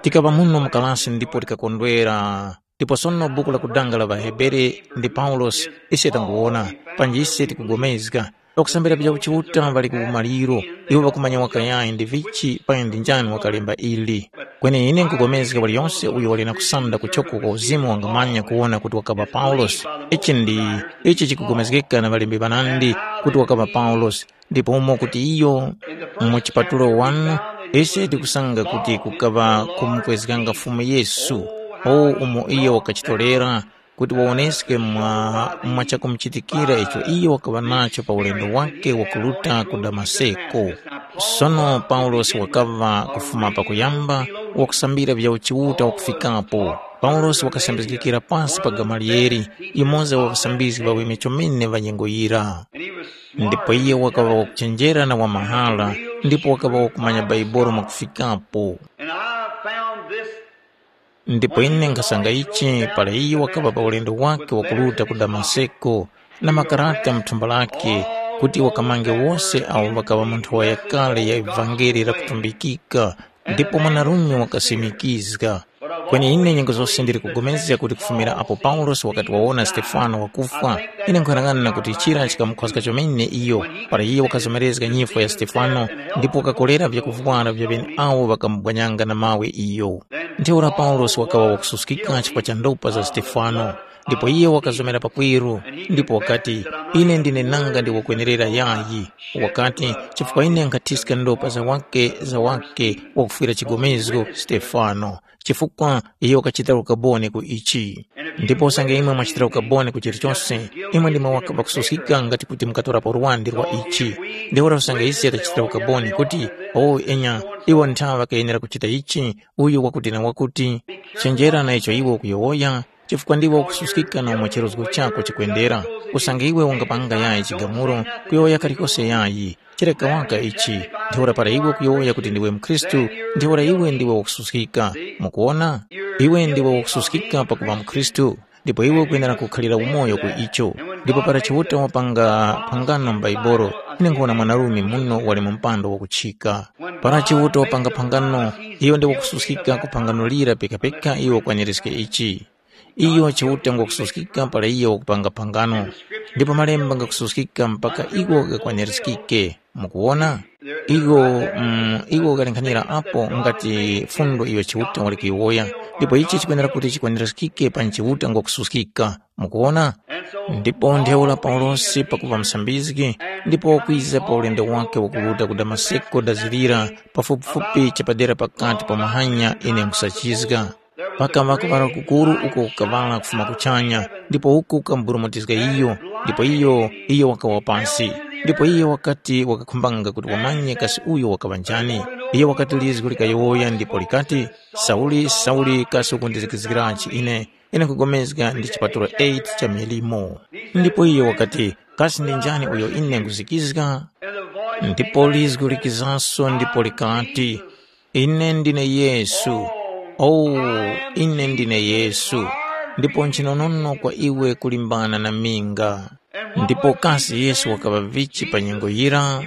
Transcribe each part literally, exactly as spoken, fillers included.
Tikaŵa muno mu kalasi ndipo tikakondwera. Ndipo sono buku la kudanga la ŵaHebere ndi Paulosi, ise tanguwona, panji ise tikupulikana. Pakusambira vya Chiuta ŵali ku umaliro, iwo ŵakumanya wakayayi ndi vichi paya ndi njani wakalemba ili. Kweni ine nkupulikana waliyonse uyo wali na kusanda kuchoko kwa uzimu wangamanya kuwona kuti wakaŵa Paulosi. Ichi ndi ichi chikupulikana na ŵalembi ŵanandi kuti wakaŵa Paulosi. Ndipo umo kuti iyo mu chipatulo wanu, ise tikusanga kuti kukaŵa kumukwezganga Fumu Yesu, o umo iyo wakachitorera kuti wawoneske mwa, mwa chakumuchitikira icho iyo wakaŵa nacho pa ulendo wake wakuruta ku Damaseko. Sono Paulosi wakaŵa kufuma pakuyamba wakusambira vya uchiuta wakufikapo. Paulosi wakasambizgikira pasi pa Gamaliyeli, yumoza wa ŵasambizgi ŵaweme chomene ŵa nyengo yira. Ndipo iye wakaŵa wakuchenjera na wamahara, ndipo wakaŵa wakumanya Baibolo mwakufikapo. And I found this. Ndipo ine nkhasanga ichi para iye wakaŵa pa ulendo wake wakuruta ku Damaseko, na makarata mu thumba lake, kuti wakamange wose awo ŵakaŵa mu nthowa yakale ya ivangeli lakutumbikika, ndipo mwanarume wakasimikizga. Kweni ine nyengo zose ndili kugomezga kuti kufumira apo Paulosi wakati wawona Stefano wakufwa, ine nkhuyang'ana kuti chira chikamukhozga chomene iyo, para iye wakazomerezga nyifwa ya Stefano, ndipo wakakolera vyakuvwara vya ŵeneawo ŵakamubwanyanga na mawe iyo. Ntheura Paulosi wakaŵa wakususkika chifukwa cha ndopa za Stefano, ndipo iye wakazomera pakweru, ndipo wakati, ine ndine nanga ndi wakwenerera yayi. Wakati, chifukwa ine nkhathiska ndopa za wake za wake wakufwira chigomezgo Stefano, chifukwa iyo wakachitira ukaboni ku ichi. Ndipo usange imwe mwachitira ukaboni ku chilichose, imwe ndimwe waka- wakususkika ngati kuti mukatorapo lwandi lwa ichi. Ntheura usange ise tachitira ukaboni kuti, o enya, iwo nthawe ŵakayenera kuchita ichi, uyu wakuti na wakuti, chenjera na icho iwe ukuyowoya, chifukwa ndiwe ukususkika na umo chirozgo chako chikwendera. Usange iwe ungapanga yayi chigamulo, kuyowoya kalikose yayi, chireka waka ichi. Ntheura para iwe ukuyowoya kuti ndiwe mukhristu, ntheura iwe ndiwe wakususkika. Mukuwona? Iwe ndiwe wakususkika pakuŵa mukhristu, ndipo iwe ukuyenera kukhalira umoyo ku icho. Ndipo para Chiuta wapanga phangano m'Baibolo, ine nkuwona mwanarume muno wali mu mpando wakuchika. Para Chiuta wapanga phangano, iyo ndi wakususkika ku phangano lira pekapeka iyo wakwanirizge ichi. Iyo Chiuta ngwakususkika para iyo wakupanga phangano, ndipo malemba ngakususkika mpaka iwo ghakwanirizgike. Mukuwona? Iwo, mm, iwo ghalinghanira apo ngati fundo iyo Chiuta wali kuyiwoya, ndipo ichi chikwenera kuti chikwanirizgike pa Chiuta ngwakususkika. Mukuwona? Ndipo ntheura Paulosi pakuva musambizgi, ndipo wakwiza pa ulendo wake wakuruta ku Damaseko dazilira, pafupifupi chapadera pakati pa mahanya ine nkhusachizga. Pakaŵa kuŵala kukuru uko kukaŵala kufuma kuchanya, ndipo uku kukamburumutizga iyo, ndipo iyo, iyo wakawa pansi. Ndipo iyo wakati wakakhumbanga kuti wamanye kasi uyo wakaŵa njani. Iyo wakati lizgu likayowoya ndipo likati, Sauli, Sauli, kasi ukundizikizgirachi ine? Ine nkupulikana ndi chipatulo eight cha milimo. Ndipo iyo wakati, kasi ndi njani uyo ine nkuzikizga? Ndipo lizgu likizanso ndipo likati, ine ndine Yesu. Oh, ine ndine Yesu. Ndipo nchinonono kwa iwe kulimbana na minga. Ndipo kasi Yesu wakaŵa vichi pa nyengo yira?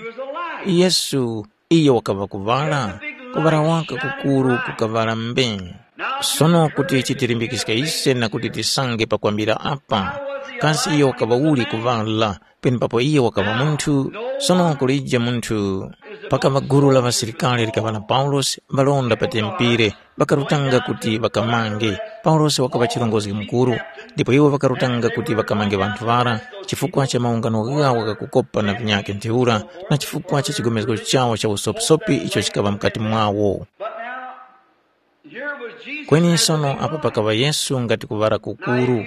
Yesu iyo wakaŵa kuŵala, kuŵala waka kukuru kukaŵala mbe. Sono kuti chitilimbikizge ise na kuti tisange pakwambira apa, kasi iyo wakaŵa uli kuŵala, penepapo iyo wakaŵa munthu? Sono kulije munthu. Pakaŵa gulu la ŵasilikari likaŵa na Paulosi, ŵalonda pa tempere, ŵakarutanga kuti ŵakamange. Paulosi wakaŵa chirongozgi mukuru, ndipo iwo ŵakarutanga kuti ŵakamange ŵanthu ŵara, chifukwa cha maungano ghawo ghakukopa na vinyakhe ntheura, na chifukwa cha chigomezgo chawo cha usopisopi icho chikaŵa mukati mwawo. But now, here was Jesus. Kweni sono apa pakaŵa Yesu ngati kuŵala kukuru.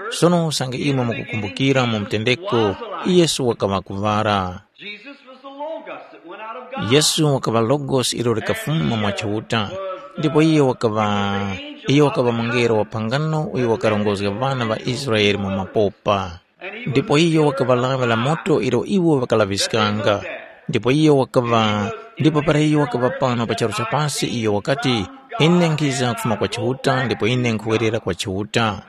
Sono usange imwe mukukumbukira mu mtendeko, Yesu wakaŵa kuŵala. Jesus was the Logos that went out of God. Yesu wakaŵa Logos ilo likafuma mwa Chiuta, ndipo iyo wakaŵa, iyo wakaŵa mungelo wa phangano uyo wakarongozga ŵana ŵa Israele mu mapopa. Ndipo iyo wakaŵa lawi la moto ilo iwo ŵakalaŵiskanga. Ndipo iyo wakaŵa, ndipo para iyo wakaŵa pano pa charu cha pasi, iyo wakati, ine nkhiza kufuma kwa Chiuta, ndipo ine nkhuwerera kwa Chiuta.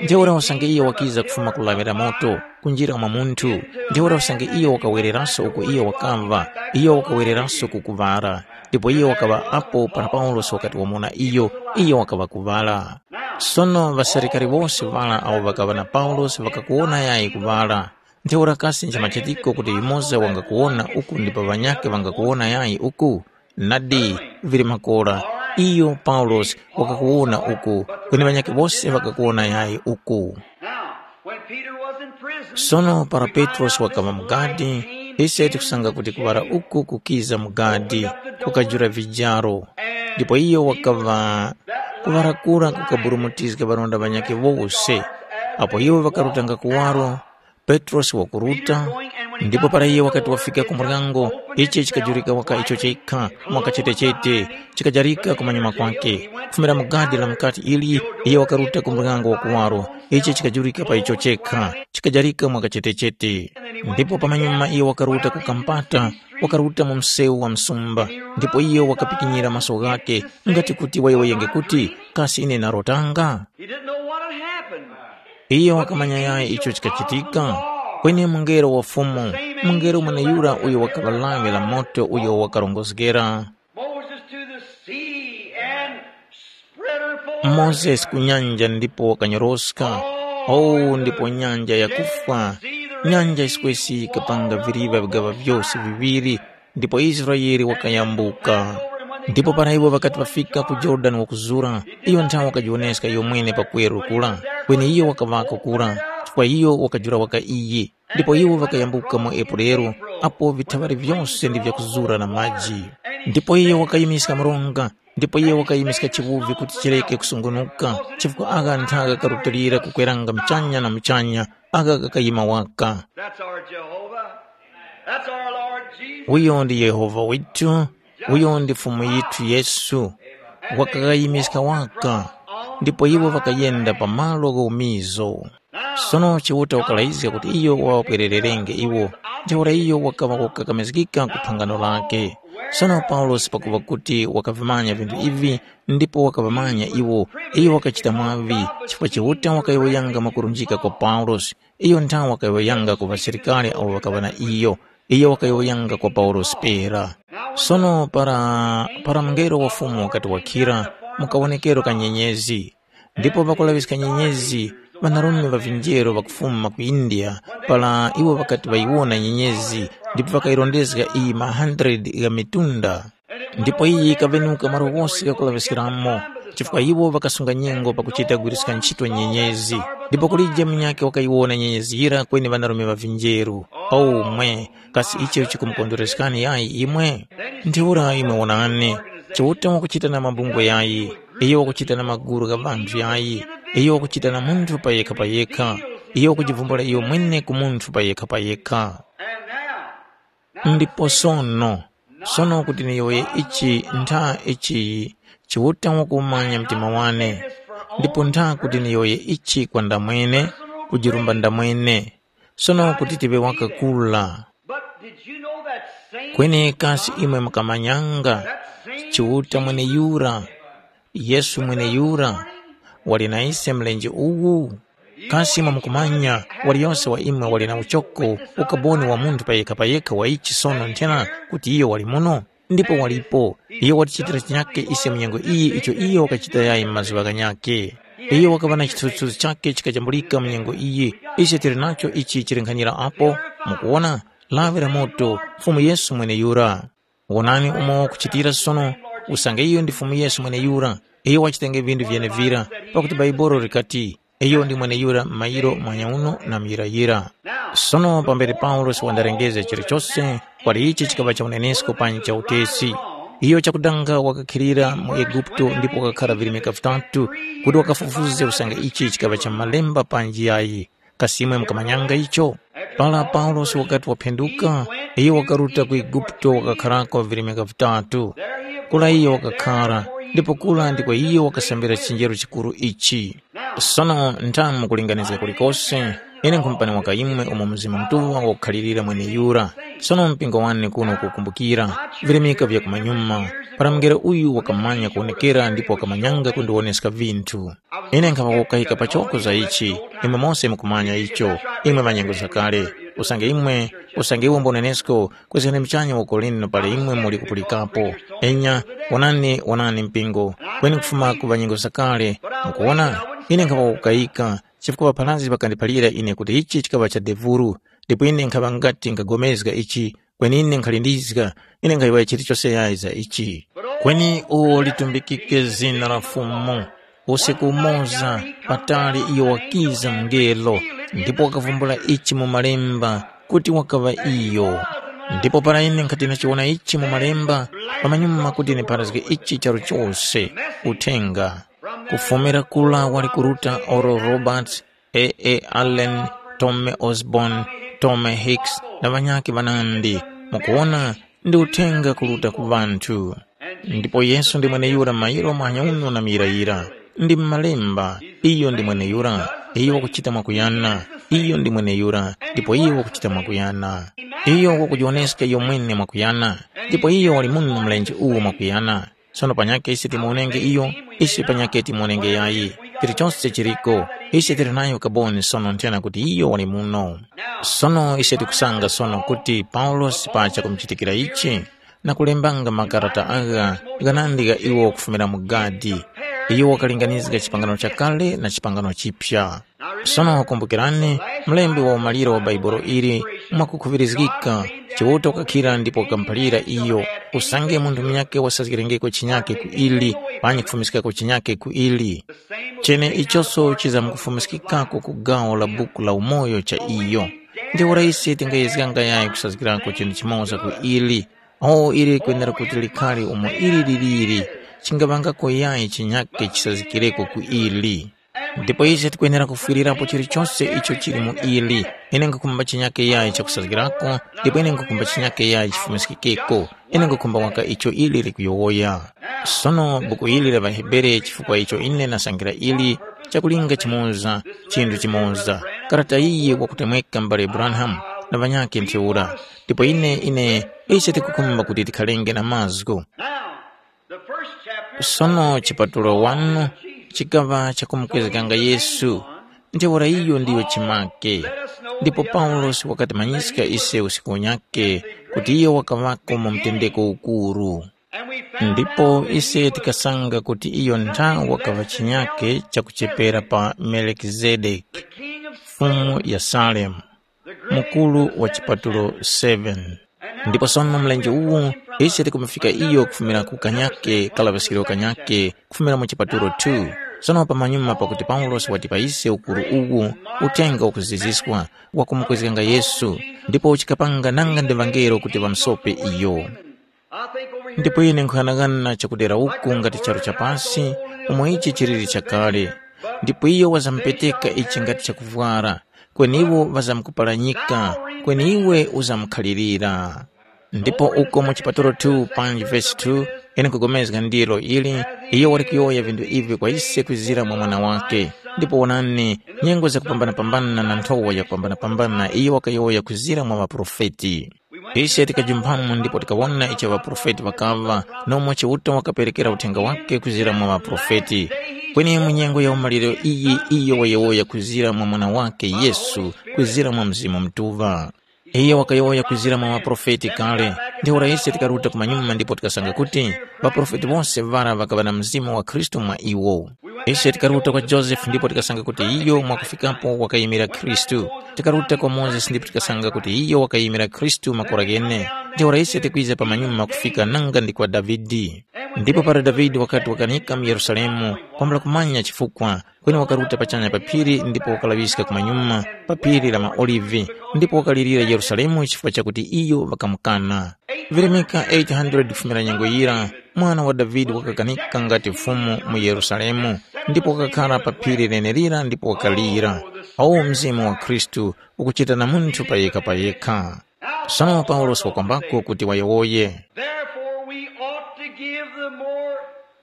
Ntheura usange iyo wakiza kufuma ku lawi la moto, kunjira mwa munthu, ntheura usange iyo wakawereranso uko iyo wakamva, iyo wakawereranso ku kuŵala. Ndipo iyo wakaŵa apo para Paulosi wakati wamona iyo, iyo wakaŵa kuŵala. Sono ŵasilikari wose ŵara awo ŵakaŵa na Paulosi ŵakakuwona yayi kuŵala. Ntheura kasi nchimachitiko kuti yumoza wangakuwona uku ndipo ŵanyakhe ŵangakuwona yayi uku? Nadi, vili makora, iyo Paulosi wakakuwona uku, kweni ŵanyakhe wose ŵakakuwona yayi uku. Now, when Peter was in prison, Sono para Petrosi wakaŵa mu gadi, ise tikusanga kuti kuŵala uku kukiza mu gadi, kukajula vijaro. Ndipo iyo wakaŵa kuŵala kura kukaburumutizga ŵarunda ŵanyakhe wose. Apo iwo ŵakarutanga kuwaro, Petrosi wakuruta, ndipo para iye wakati wafika ku muryango, ichi chikajurika waka icho chekha, mwakachetechete, chikajarika kumanyuma kwake. Kufumira mu gadi la mukati ili, iye wakaruta ku muryango wa kuwaro, ichi chikajurika pa icho chekha, chikajarika mwakachetechete. Ndipo pamanyuma iye wakaruta ku kampata, wakaruta mu msewu wa msumba, ndipo iye wakapikinyira maso ghake, ngati kuti wayowoyenge kuti, kasi ine narotanga? He didn't know what had happened. Iyo wakamanya yayi icho chikachitika. Kweni mungelo wa Fumu, mungelo mweneyura uyo wakaŵa lawi la moto uyo wakarongozgera Moses to the sea and spread her forth. Mozesi ku nyanja ndipo wakanyoroska. Oh, ndipo nyanja yakufwa. Nyanja yisikwesi yikapanga viriva vigaŵa vyose viŵiri, ndipo Israele wakayambuka. Ndipo para iwo ŵakati ŵafika ku Yorodani wakuzura, iyo nthawe wakajiwoneska iyo mwene pa kweru kura, kweni iyo wakaŵako kura, chifukwa iyo wakajula waka iye. Ndipo iwo ŵakayambuka mu Epureru, apo vithaŵari vyose ndi vyakuzura na maji. Ndipo iyo wakayimiska mronga, ndipo iyo wakayimiska chiwuvi kuti chireke kusungunuka, chifukwa agha ntha ghakarutulira kukweranga muchanya na muchanya, agha ghakayima waka. That's our Jehovah. That's our Lord Jesus. Uyo ndi Yehova withu, uyo ndi Fumu yithu Yesu, wakakayimiska waka, ndipo iwo ŵakayenda pa malo gha umizo. Sono Chiuta wakalayizga kuti iyo wawapwerererenge iwo, ntheura iyo wakaŵa kukakamizgika ku phangano lake. Sono Paulosi pakuŵa kuti wakavimanya vinthu ivi, ndipo wakaŵamanya iwo, iyo wakachita mwaŵi, chifukwa Chiuta wakayowoyanga mwakurunjika kwa Paulosi. Iyo nthawe wakayowoyanga ku ŵasilikari awo ŵakaŵa na iyo, iyo wakayowoyanga kwa Paulosi pera. Sono para, para mungelo wa Fumu wakati wakhira, mukawonekero ka nyenyezi. Ndipo pakulaŵiska nyenyezi, ŵanarume ŵa vinjero ŵakufuma ku India, para iwo ŵakati ŵayiwona nyenyezi, ndipo ŵakayirondezga iyi ma hundred gha mitunda. Ndipo iyi yikaŵenuka malo ghose ghakulaŵiskiramo, chifukwa iwo ŵakasunga nyengo pakuchita kugwiriska ntchito nyenyezi. Ndipo kulije munyakhe wakayiwona nyenyezi yira kweni ŵanarume ŵa vinjeru. Aumwe, kasi icho chikumukondwereskani yayi imwe? Ntheura imwe wonani, Chiuta wakuchita na mabungwe yayi, iyo wakuchita na magulu gha ŵanthu yayi, iyo wakuchita na munthu payekha-payekha, iyo wakujivumbula iyo mwene ku munthu payekha-payekha. Ndipo sono, sono kuti niyowoye ichi ntha ichi Chiuta wakumanya mtima wane, ndipo ntha kuti niyowoye ichi kwa ndamwene, kujirumba ndamwene, sono kuti tiŵe wakakula. But did you know that same Kweni kasi imwe mukamanyanga Chiuta mweneyura, Yesu mweneyura, wali na ise mlenje uwu? Kasi imwe mukumanya, waliyose wa imwe wali na uchoko, ukaboni wa munthu payekha-payekha wa ichi sono nthena kuti iyo wali muno? Ndipo walipo. Iyo watichitira chinyake ise mu nyengo iyi icho iyo wakachita yayi mu mazuŵa ghanyakhe. Iyo wakaŵa na chithunzithunzi chakhe chikajambulika mu nyengo iyi. Ise tili nacho ichi chilinkhanyira apo, mukuwona, lawi la moto, Fumu Yesu mweneyura. Wonani umo wakuchitira sono, usange iyo ndi Fumu Yesu mweneyura, iyo wachitenge vinthu vyenevira, pakuti Bhaibuli likati, iyo ndi mweneyura m'mayiro mwanyauno na muyirayira. Sono pambere Paulosi wandarengezga chilichose, kwali ichi chikaŵa cha unenesko panji cha utesi. Iyo chakudanga wakakhilira mu Eguputo ndipo wakakhara virimika vitatu kuti wakafufuze usange ichi chikaŵa cha malemba panji yayi. Kasi imwe mukamanyanga icho? Para Paulosi wakati waphenduka, iyo wakaruta ku Eguputo wakakharako virimika vitatu. Kura iyo wakakhara, ndipo kura ndiko iyo wakasambira chenjero chikuru ichi. Sono nthamu kulinganiza kulikose, ine nkhumupani waka imwe umo Mzimu Mutuŵa wakukhalirira mweneyura. Sono mpingo wane kuno kukumbukira, virimika vya kumanyuma, para mungelo uyu wakamanya kuwonekera ndipo wakamanyanga kundiwoneska vinthu. Ine nkhaŵa kukahika pachoko za ichi, imwe mose mukumanya icho, imwe ŵanyengo zakale. usange imwe, usange iwo mbonenesko, kuzgani muchanya woko linu pali imwe muli kupulikapo. Enya, wonani, wonani mpingo, kweni kufuma ku ŵanyengo zakale. Mukuwona, ine nkhaŵa wakukayika, chifukwa ŵapharazgi ŵakandiphalira ine kuti ichi chikaŵa cha devuru, ndipo ine nkhaŵa ngati nkhapulikana ichi, kweni ine nkhalindizga, ine nkhayowoya chilichose yayi za ichi. Kweni uwo litumbikike zina la Fumu. Usiku umoza, patali iyo wakiza mungelo, ndipo wakavumbula ichi mu malemba, kuti wakaŵa iyo. Ndipo para ine nkhati ndachiwona ichi mu malemba, pamanyuma kuti ndipharazge ichi charu chose, uthenga. Kufumira kula wali kuruta Oral Roberts, A A Allen, Tommy Osborn, Tommy Hicks na ŵanyakhe ŵanandi. Mukuwona, ndi uthenga kuruta ku ŵanthu. Ndipo Yesu ndi mweneyura mairo muhanya uno na muyirayira. Ndi m'malemba, iyo ndi mweneyura, iyo wakuchita mwakuyana, iyo ndi mweneyura, ndipo iyo wakuchita mwakuyana. Iyo wakujiwoneska iyo mwene mwakuyana, ndipo iyo wali muno mlenje uwu mwakuyana. Sono panyakhe ise timuwonenge iyo, ise panyakhe timuwonenge yayi. Chilichose chiliko, ise tili nayo kaboni sono nthena kuti iyo wali muno. Sono ise tikusanga sono kuti Paulosi pacha kumuchitikira ichi, na kulembanga makarata agha ghanandi gha iwo kufumira mu gadi, iyo wakalinganizga chipangano chakale na chipangano chipya. Sono kumbukirani, mlembi wa umaliro wa Bhaibuli ili mwakukhuŵirizgika, Chiuta wakakhira ndipo wakamuphalira iyo, usange munthu munyakhe wasazgirengeko chinyakhe ku ili, panyi kufumiskako chinyakhe ku ili. Cheneichoso chizamkufumiskikako ku gawo la buku la umoyo cha iyo. Ntheura ise tingayezganga yayi kusazgirako chinthu chimoza ku ili, awo ili likwenera kuti likhale umo ili liliri, chingaŵangako yayi chinyakhe chisazgikireko ku ili. Ndipo ise tikwenera kufwirirapo chilichose icho chili mu ili. Ine nkhukhumba chinyake yayi chakusazgirako, ndipo ine nkhukhumba chinyake yayi chifumiskikeko. Ine nkhukhumba waka icho ili likuyowoya. Sono buku ili la ŵaHebere, chifukwa icho ine ndasangila ili, chakulinga chimoza, chinthu chimoza. Karata iyi wakutemweka mbale Branham na ŵanyakhe ntheura. Ndipo ine, ine, ise tikukhumba kuti tikhalenge na mazgu. Now, the first chapter Sono chipatulo wanu chikaŵa chakumukwezganga Yesu, ntheura iyo ndiyo chimake. Ndipo Paulosi wakatimanyiska ise usiku unyake kuti iyo wakaŵako mu mtendeko ukuru. Ndipo ise tikasanga kuti iyo ntha wakaŵa chinyake chakuchepera pa Melikizedeki, fumu ya Salemu, mukuru wa chipatulo seven. Ndipo sono mlenje uwu, ise tikumufika iyo kufumira ku kanyake kalaŵiskiro kanyake, kufumira mu chipatulo two. Sono pamanyuma pakuti Paulosi watipa ise ukuru uwu, uthenga ukuziziswa, wakumukwezganga Yesu, ndipo uchikapanga nanga ndi ŵangelo kuti ŵamusope iyo. Ndipo ine nkhughanaghana chakudera uku ngati charu cha pasi, umo ichi chiliri chakale. Ndipo iyo wazamupeteka ichi ngati chakuvwara, kweni iwo ŵazamkupalanyika, kweni iwe uzamkhalirira. Ndipo uko mu chipatulo two panji vesi two, ine nkugomezga ndilo ili, iyo wali kuyowoya vinthu ivi kwa ise kwizira mwa Mwana wake. Ndipo wonani, nyengo zakupambana-pambana na nthowa yakupambana-pambana iyo wakayowoya kwizira mwa ŵaprofeti. Ise tikajumphamo ndipo tikawona icho ŵaprofeti ŵakaŵa, nomwe Chiuta wakaperekera uthenga wake kwizira mwa ŵaprofeti. Kweni mu nyengo ya umaliro iyi iyo wayowoya kwizira mwa Mwana wake Yesu, kwizira mwa Mzimu Mutuŵa. Iyo wakayowoya kwizira mwa ŵaprofeti kale. Ntheura ise tikaruta kumanyuma ndipo tikasanga kuti ŵaprofeti wose ŵara ŵakaŵa na Mzimu wa Khristu mwa iwo. Ise tikaruta kwa Josefe ndipo tikasanga kuti iyo mwakufikapo wakayimira Khristu. Tikaruta kwa Mozesi ndipo tikasanga kuti iyo wakayimira Khristu makora ghene. Ntheura ise tikwiza pamanyuma kufika nanga ndi kwa Davide. Ndipo para Davide wakati wakanika mu Yerusalemu, kwambula kumanya chifukwa, kweni wakaruta pachanya pa phiri ndipo wakalaŵiska kumanyuma pa phiri la maOlive, ndipo wakalirira Yerusalemu chifukwa chakuti iyo ŵakamukana. Virimika eight hundred kufumira nyengo yira, mwana wa Davide wakakanika ngati Fumu mu Yerusalemu, ndipo wakakhara pa phiri lenelira ndipo wakalira. Awo Mzimu wa Khristu ukuchita na munthu payekha-payekha. Sono Paulosi wakwambako kuti wayowoye. Therefore we ought to give the more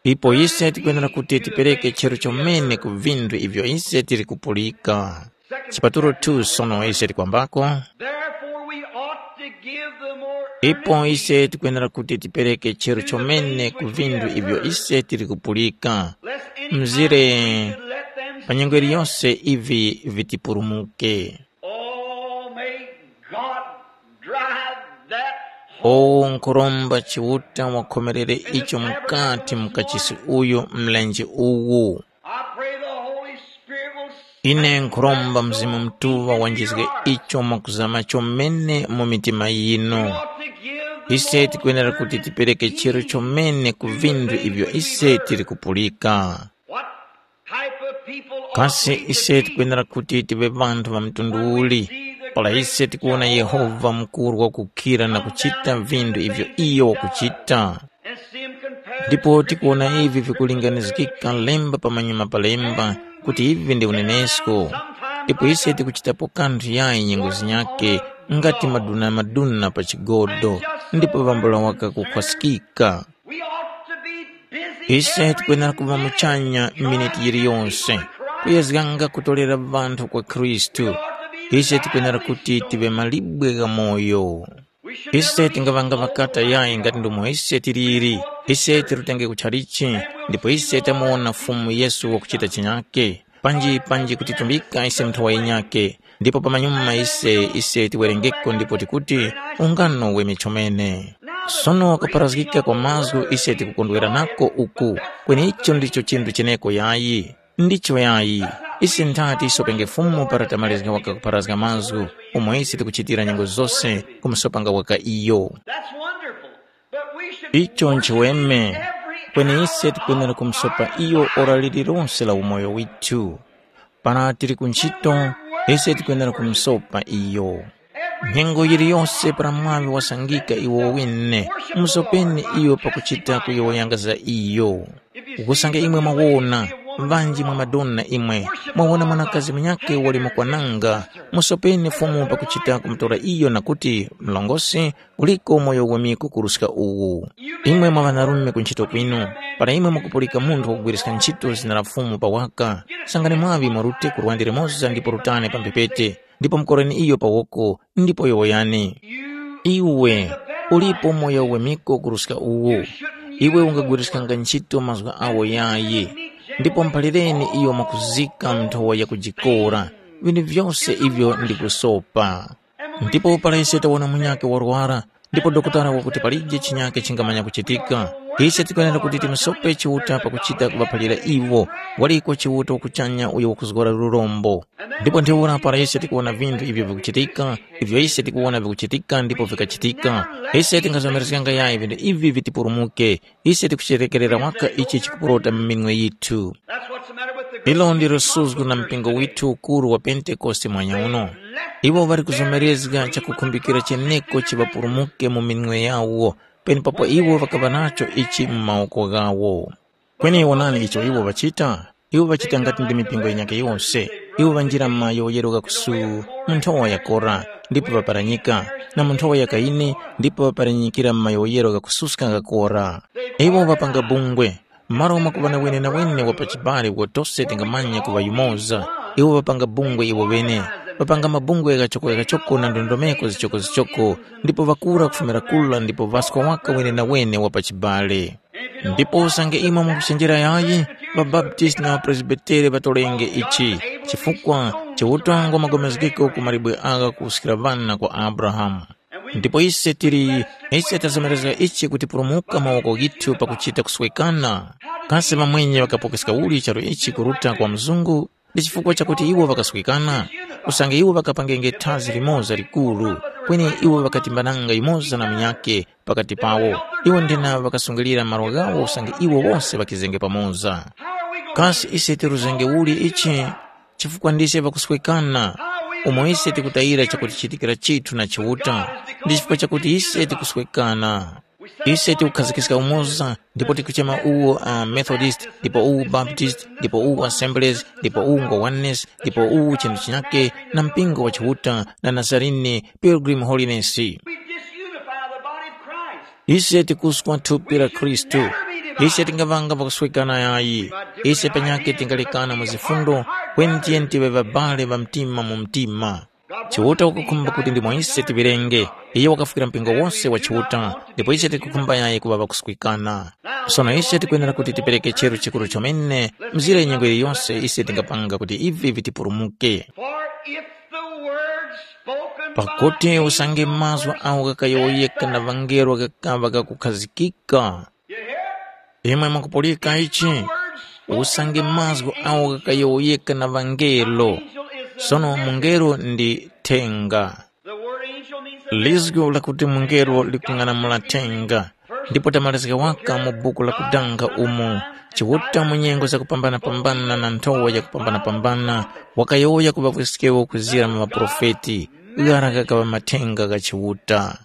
Ipo ise tikwenera kuti tipereke chero chomene ku vinthu ivyo ise tiri kupulika. Chipatulo two sono ise tikwambako. Therefore we ought to give the more Ipo ise tikwenera kuti tipereke chero chomene ku vinthu ivyo ise tiri kupulika. Lest any Mzire time we should let them pa nyengo iliyonse ivi vitipulumuke. Oh, may O nkhuromba Chiuta wakhomerere icho mukati mu kachisi uyu mlenje uwu. I pray the Holy Spirit will Ine nkhuromba Mzimu Mutuŵa wanjizge icho mwakuzama chomene mu mitima yinu. Ought to give the Ise Lord tikwenera kuti tipereke chiro chomene ku vinthu ivyo ise tili kupulika. What type of people ought Kasi we to ise be? Tikwenera kuti tive vanthu va mtundu uli? Pala ise tikuwona Yehova mukuru wakukhira na kuchita vinthu ivyo iyo wakuchita. And see him compared ndipo to tikuona ivi vikulinganizgika lemba pamanyuma pa lemba kuti ivi ndi unenesko. Ndipo ise tikuchitapo kanthu yayi nyengo zinyakhe ngati maduna-maduna pa chigodo, ndipo vambula waka kukhwaskika. We ought to be busy ise every tikwenera kuva minute muchanya miniti yiliyonse kuyezganga kutolera vanthu kwa khristu. Ise tikwenera kuti tive malibwe gha moyo. Ise tingavanga ŵakata yayi ngati ndomwe ise tiliri. Ise tirutenge kutchalichi, ndipo ise tamuwona Fumu Yesu wakuchita chinyake. Panji panji kutitumbika ise nthowa yinyake, ndipo pamanyuma ise ise tiwerengeko ndipo tikuti, ungano weme chomene. Sono kuparazgika kwa mazgu ise tikukondwera nako uku, kweni icho ndicho chinthu cheneko yayi. Ndicho yayi, ise nthati tisopenge Fumu para tamalizga waka kupharazga mazgu, umo ise tikuchitira nyengo zose kumusopanga waka iyo. That's wonderful. But we should Icho nchiweme, kweni ise tikwenera kumusopa iyo ora lililonse la umoyo withu. Para tili ku ntchito, ise tikwenera kumusopa iyo. Nyengo yiliyose para mwaŵi wasangika iwo wine, musopeni iyo pakuchita kuyowoyanga za iyo. Ukusanga imwe mwawona, ŵanji mwa madona imwe, mwawona mwanakazi munyakhe wali mukwananga, musopeni Fumu pakuchita kumutora iyo na kuti, mlongosi, uliko umoyo wamiko kuruska uwu. Imwe mwa ŵanarume ku ntchito kwinu, para imwe mukupulika munthu wakugwiriska ntchito zina la Fumu pa waka, sangani mwaŵi mwarute ku lwande limoza ndipo rutani pa mphepete, ndipo mukoreni iyo pa woko, ndipo yowoyani. Iwe ulipo moyo wemiko kuruska uwu. Iwe ungagwiriskanga ntchito mazgu awo yayi, ndipo mphalireni iyo mwakuzika nthowa yakujikora, vinthu vyose ivyo ndi kusopa. Ndipo para ise tawona munyakhe warwara, ndipo dokotala wakuti palije chinyakhe chingamanya kuchitika, ise tikwenera kuti timusope Chiuta pakuchita kuŵaphalira iwo, waliko Chiuta wakuchanya uyo wakuzgora lurombo. Ndipo ntheura para ise tikuwona vinthu ivyo vikuchitika, ivyo ise tikuwona vikuchitika ndipo vikachitika, ise tingazomerezganga yayi vinthu ivi vitipulumuke. Ise tikucherekerera waka ichi chikupurota mu minwe yithu. That's what's the matter with the Ilo ndilo suzgu na mpingo withu ukuru wa Pentekoste mwanya uno. Iwo ŵali kuzomerezga chakukhumbikira cheneko chiŵapulumuke mu minwe yawo, penepapo iwo ŵakaŵa nacho ichi mu mawoko ghawo. Kweni wonani icho iwo ŵachita. Iwo ŵachita ngati ndi mipingo yinyakhe yose. Iwo ŵanjira mu mayowoyero gha kusu, mu nthowa ya Kora, ndipo ŵaparanyika, na mu nthowa ya Kaini, ndipo ŵaparanyikira mu mayowoyero gha kususka gha Kora. Iwo ŵapanga bungwe, malo umo kuŵa na wenenawene wa pachibale uko tose tingamanya kuŵa yumoza. Iwo ŵapanga bungwe iwo ŵene, ŵapanga mabungwe ghachoko-ghachoko na ndondomeko zichoko-zichoko, ndipo ŵakura kufumira kula ndipo ŵaska waka wenenawene wa pachibale. Ndipo usange imwe mukuchenjera yayi, ŵaBaptisti na ŵaPresbitere ŵatolenge ichi, chifukwa Chiuta ngwamagomezgeko ku malibwe agha kuwuskira ŵana kwa Abrahamu. Ndipo ise tili, ise tazomerezga ichi kutipulumuka mawoko ghithu pakuchita kuswekana. Kasi ŵamwenye ŵakapokeska uli charu ichi kuruta kwa mzungu? Ndi chifukwa chakuti iwo ŵakaswikana, usange iwo ŵakapangenge thazi limoza likuru, kweni iwo ŵakatimbananga yumoza na munyakhe pakati pawo. Iwo nthena ŵakasungilira malo ghawo usange iwo wose ŵakizenge pamoza. Kasi ise tiruzenge uli ichi? Chifukwa ndise ŵakuswekana, umo ise tikutayira chakutichitikira chithu na Chiuta, ndi chifukwa chakuti ise tikuswekana. Ise tikukhazikiska umoza, ndipo tikuchema uwo a Methodist, ndipo uwu Baptist, ndipo uwu Assemblies, ndipo uwu ngwa Oneness, ndipo uwu chinthu chinyake, na mpingo wa Chiuta, na Nazarene, Pilgrim Holiness. We disunify the body of Christ. Ise tikuswa thupi la Khristu. Ise tingavanga pakuswekana yayi. Ise panyake tingalekana mu zifundo, kweni tiyeni tive ŵabale ŵa mtima mu mtima. Chiuta wakukhumba kuti ndimo ise tiŵerenge. Iye wakafukira mpingo wose wa Chiuta, ndipo ise tikukhumba yayi kuŵa ŵakuswikana. Sono ise tikwenera kuti tipereke cheru chikuru chomene mzire nyengo yiliyonse ise tingapanga kuti ivi vitipulumuke. For if the words Pakuti usange mazgu agho ghakayowoyeka na ŵangelo ghakaŵa ghakukhazikika. Imwe mukupulika ichi? Usange mazgu agho ghakayowoyeka na ŵangelo. Sono mungelo ndi thenga. Lizgu lakuti mungelo likung'anamula thenga. Ndipo tamalizika waka mu buku la kudanga umo, Chiuta mu nyengo zakupambana-pambana na nthowa yakupambana-pambana, wakayowoya ku ŵavweskeo kuzira mu ŵaprofeti, ghara ghakaŵa mathenga gha Chiuta.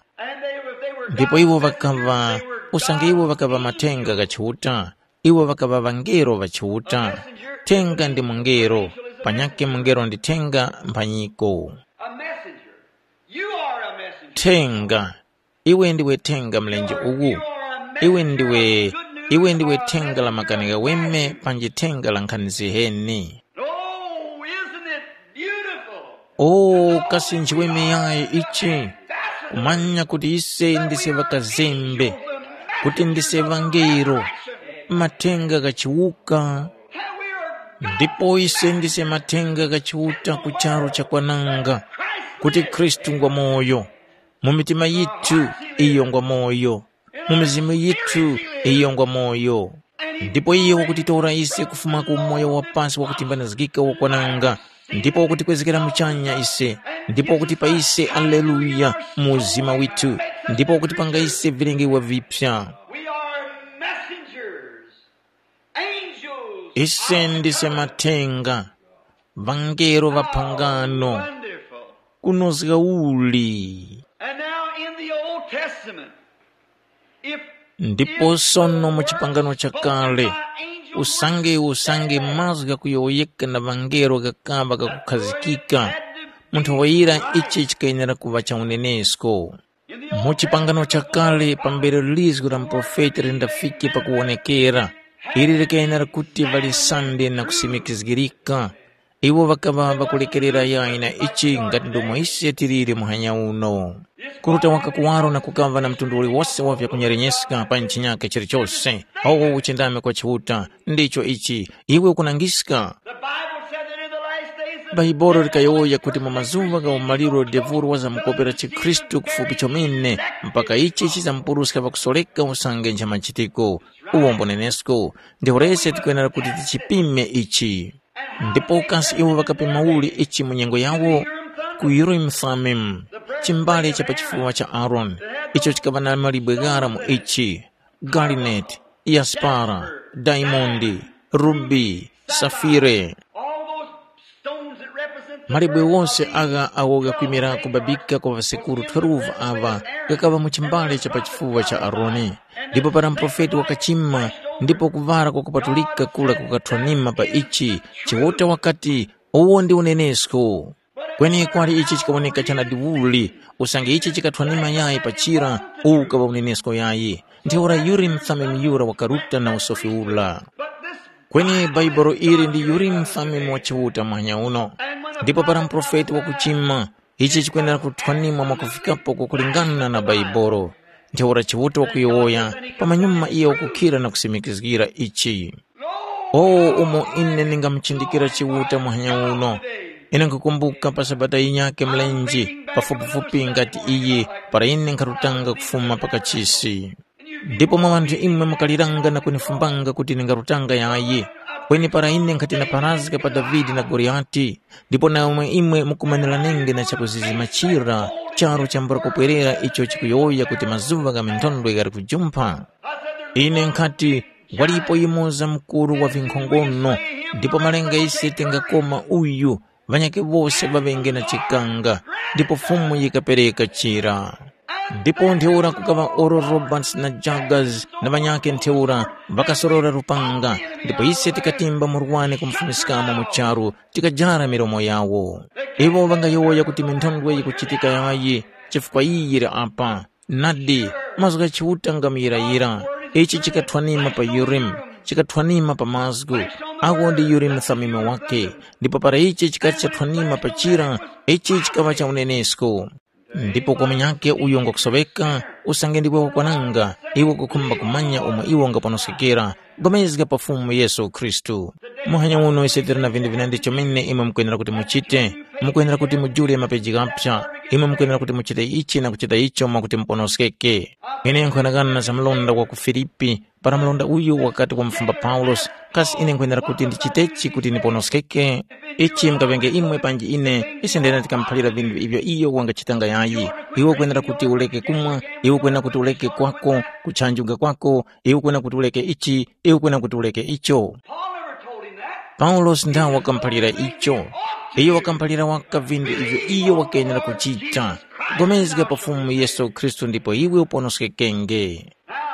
Ndipo iwo ŵakaŵa, usange iwo ŵakaŵa mathenga gha Chiuta, iwo ŵakaŵa ŵangelo ŵa Chiuta. Thenga ndi mungelo, panyakhe mungelo ndi thenga mphanyiko. A messenger. You are a messenger. Thenga. Iwe ndiwe thenga mlenje uwu. Iwe ndiwe, iwe ndiwe thenga la makani ghaweme panji thenga la nkhani ziheni. Oh, isn't it beautiful? O, kasi nchiweme yayi ichi, kumanya kuti ise ndise ŵakazembe, kuti ndise ŵangelo, mathenga ghachiwuka. Ndipo ise ndise mathenga gha Chiuta ku charu cha kwananga, kuti Khristu ngwa moyo, mu mitima yithu iyo ngwa moyo, mu mizimu yithu iyo ngwa moyo. Ndipo iye wakutitora ise kufuma ku umoyo wa pasi wakutimbanizgika wakwananga, ndipo wakutikwezgera muchanya ise, ndipo wakutipa ise aleluya mu uzima withu, ndipo wakutipanga ise vilengewa vipya. We are messengers, angels. Ise ndise mathenga, ŵangelo ŵa phangano. Wonderful. Kunozga uli. And now in the Old Testament, if Ndipo sono mu chipangano chakale, usange usange mazgu ghakuyowoyeka na ŵangelo ghakaŵa ghakukhazikika, mu nthowa yira ichi chikayenera kuŵa cha unenesko. Mu chipangano chakale pambere lizgu la muprofeti lindafike pakuwonekera, ili likayenera kuti ŵalisande na kusimikizgirika. Iwo ŵakaŵa ŵakulekerera yayi na ichi ngati ndomwe ise tiliri muhanya uno. Kuruta waka kuwaro na kukaŵa na mtundu uliwose wa vyakunyerenyeska pa chinyake chilichose, awo uchindami kwa Chiuta, ndicho ichi, iwe ukunangiska. The Bible said that in the last days the Bhaibuli likayowoya kuti mu mazuŵa gha umaliro devuro wazamukopera chikhristu kufupi chomene, mpaka ichi chizamupuruska pakusoreka usange ncha machitiko. Uwombo nenesko, ndipo lese tikwenera kuti tichipime ichi. Ndipo kasi iwo ŵakapima uli ichi mu nyengo yawo? Ku Urim Thummim, chimbale cha pa chifuwa cha Aaroni, icho chikaŵa na malibwe ghara mu ichi, galineti, yaspara, daimondi, rubi, safire. All those stones that represent the Malibwe wose agha awo ghakwimira kubabika kwa ŵasekuru twelve aŵa ghakaŵa mu chimbale cha pa chifuwa cha Aroni. Ndipo para muprofeti wakachima, ndipo kuvara kwakupatulika kura kukathwanima pa ichi, Chiuta wakati, uwo ndi unenesko. Kweni kwali ichi chikawoneka chanadiuli, usange ichi chikathwanima yayi pa chira, uwu ukaŵa unenesko yayi. Ntheura Urimu Thumimu yura wakaruta na usofi ura. Kweni Bhaibuli ili ndi Urimu Thumimu wa Chiuta muhanya uno. Ndipo para muprofeti wakuchima, ichi chikwenera kuthwanimwa mwakufikapo kwakulingana na Bhaibuli. Ntheura Chiuta wakuyowoya, pamanyuma iyo wakukhira na kusimikizgira ichi. O umo ine ndingamuchindikira Chiuta muhanya uno! Ine nkhukumbuka pa Sabata yinyakhe mlenje, pafupifupi ngati iyi, para ine nkharutanga kufuma pa kachisi. Ndipo mwa ŵanthu imwe mukaliranga na kunifumbanga kuti ndingarutanga yayi. Kweni para ine nkhati napharazga pa Davide na Goliyati, ndipo namwe imwe mukumaniranenge na chakuzizima chira, charu chambula kupwerera icho chikuyowoya kuti mazuŵa gha minthondwe ghali kujumpha. Ine nkhati, walipo yumoza mukuru wa vinkhongono, ndipo malenga ise tingakoma uyu, ŵanyakhe wose ŵaŵenge na chikanga, ndipo Fumu yikapereka chira. Ndipo ntheura kukaŵa Oral Roberts na Jaggers na ŵanyakhe ntheura, ŵakasorora lupanga, ndipo ise tikatimba murwani kumufumiskamo mu charu, tikajara milomo yawo. Iwo ŵangayowoya kuti minthondwe yikuchitika yayi, chifukwa iyi yili apa. Nadi, mazgu gha Chiuta nga muyirayira. Ichi chikathwanima pa Urimu, chikathwanima pa mazgu. Agho ndi Urimu Thumimu wakhe. Ndipo para ichi chikati chathwanima pa chira, ichi chikaŵa cha unenesko. Ndipo kwa munyakhe uyo ngwakusoŵeka, usange ndiwe wakwananga, iwe ukukhumba kumanya umo iwe ungaponoskekera, pulikana pa Fumu Yesu Khristu. Muhanya uno ise tili na vinthu vinandi chomene imwe mukwenera kuti muchite. Mukwenera kuti mujule mapeji ghaphya. Imwe mukwenera kuti muchite ichi na kuchita icho mwakuti muponoskeke. Ine nkhughanaghana na za mlonda wa ku Filipi, para mlonda uyu wakati wamufumba Paulosi, kasi ine nkwenera kuti ndichitechi kuti ndiponoskeke? Ichi mukaŵenge imwe panji ine, ise ndene tikamuphalira vinthu ivyo iyo wangachitanga yayi. Iwe ukwenera kuti uleke kumwa, iwe ukwenera kuti uleke kwako, kutchanjuga kwako, iwe ukwenera kuti uleke ichi, iwe ukwenera kuti uleke icho. Paul never told him that. Paulosi ndawo wakamuphalira icho. Iyo wakamuphalira waka vinthu ivyo iyo wakenera kuchita. Pulikana pa Fumu Yesu Khristu ndipo iwe uponoskekenge.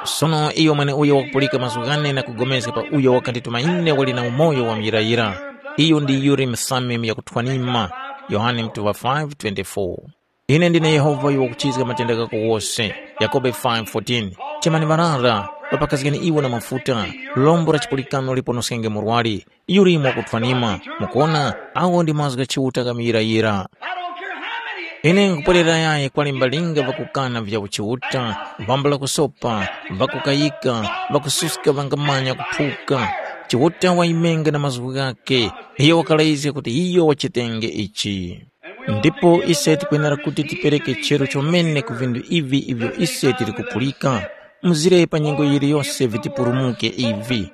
Sono iyo mweneuyo wakupulika mazgu ghane na kugomezga pa uyo wakandituma ine wali na umoyo wa muyirayira. Iyo ndi yuli msami muyakuthwanima. Yohane mutuŵa five twenty-four. Ine ndine Yehova uyo wakuchizga matenda ghako wose. Yakobe five fourteen. Chemani ŵarara, ŵapakazgeni iwo na mafuta. Lombo la chipulikano liponoskenge murwari. Yulimo wakuthwanima. Mukuona, awo ndi mazgu gha Chiuta kamuyirayira. I don't care how many Ine nkupwerera yayi kwa limbalinga ŵakukana vya uchiuta, vambula kusopa, ŵakukayika, ŵakususka ŵangamanya kuphuka. Chiuta wayimenga na mazgu ghake, iyo wakalayizga kuti iyo wachitenge ichi. Ndipo ise tikwenera kuti tipereke chero chomene ku vinthu ivi ivyo ise tili kupulika, mzire pa nyengo yiliyose vitipulumuke ivi.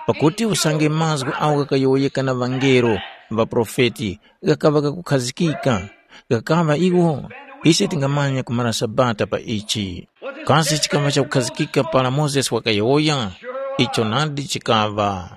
Pakuti usange mazgu agho ghakayowoyeka na ŵangelo, ŵaprofeti, ghakaŵa ghakukhazikika, ghakaŵa iwo, ise tingamanya kumara Sabata pa ichi. Kasi chikaŵa chakukhazikika para Mozesi wakayowoya? Icho nadi chikaŵa.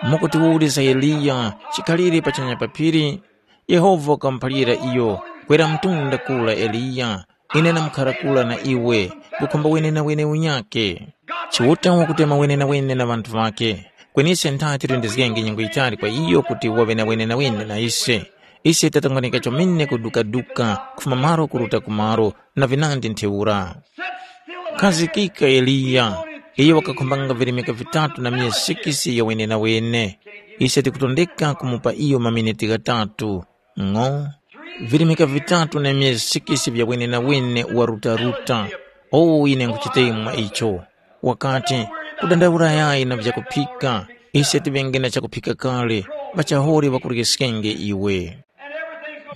Mukutiwuliza Eliya, chikhalire pachanya pa phiri? Yehova wakamuphalira iyo, kwera mtunda kura Eliya, ine ndamkhara kura na iwe, kukhumba wenenawene unyakhe. Chiuta wakutema wenenawene na ŵanthu ŵakhe, kweni ise ntha tilindizgenge nyengo yitali kwa iyo kuti waŵe na wenenawene na ise. Ise tatongonika chomene kudukaduka kufuma malo kuruta ku malo na vinandi ntheura. Khazikika Eliya, iyo wakakhumbanga virimika vitatu na myezi sikisi ya wenenawene. Ise tikutondeka kumupa iyo maminiti ghatatu. Ng'o, virimika vitatu na myezi sikisi vya wenenawene warutaruta. O ine nkuchitemwa icho. Wakati, kudandaula yayi na vyakuphika, ise tiŵenge na chakuphika kale, ŵachahore ŵakuryeskenge iwe.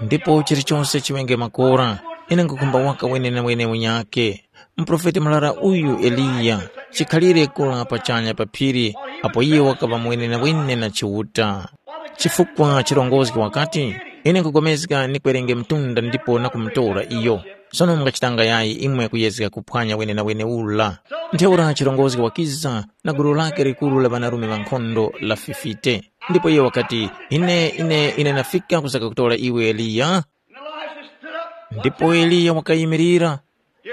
Ndipo chilichose chiŵenge makora, ine nkukhumba waka wenenawene unyakhe. Muprofeti murara uyu Eliya, chikhalire kura pachanya pa phiri, apo iye wakaŵa mwenenawene na Chiuta. Chifukwa chirongozgi wakati, ine nkupulikana nikwerenge mtunda ndipo nakumutora iyo. Sono mungachitanga yayi imwe kuyezga kuphwanya wenenawene ura? Ntheura chirongozgi wakiza na gulu lake likuru la ŵanarume ŵankhondo la fifite. Ndipo iye wakati, ine, ine, ine nafika kusaka kutora iwe Eliya. Ndipo Eliya wakayimirira,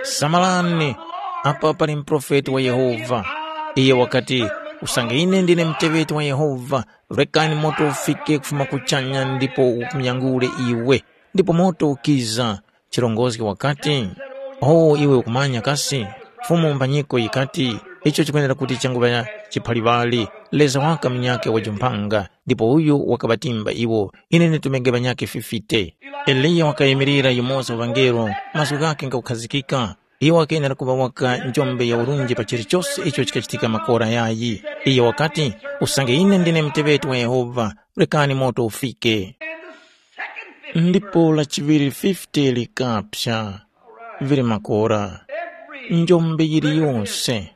samalani, apa pali muprofeti wa Yehova. Iye wakati, usange ine ndine muteŵeti wa Yehova, rekani moto ufike kufuma kuchanya ndipo ukumyangule iwe. Ndipo moto ukiza. Chirongozgi wakati, o iwe ukumanya kasi? Fumu mbanyiko yikati, icho chikwenera kuti changuŵa chiphaliŵali, Leza waka munyakhe wajumpanga, ndipo uyu wakaŵatimba iwo, ine nditumenge ŵanyakhe fifite. Eliya wakayimirira yumoza wa ŵangelo, mazgu ghakhe ngakukhazikika. Iwo wakenera kuŵa waka njombe ya urunji pa chilichose icho chikachitika makora yayi. Iye wakati, usange ine ndine muteŵeti wa Yehova, rekani moto ufike. Ndipo lachiŵiri fifite likapsa, vili makora. Njombe yiliyose.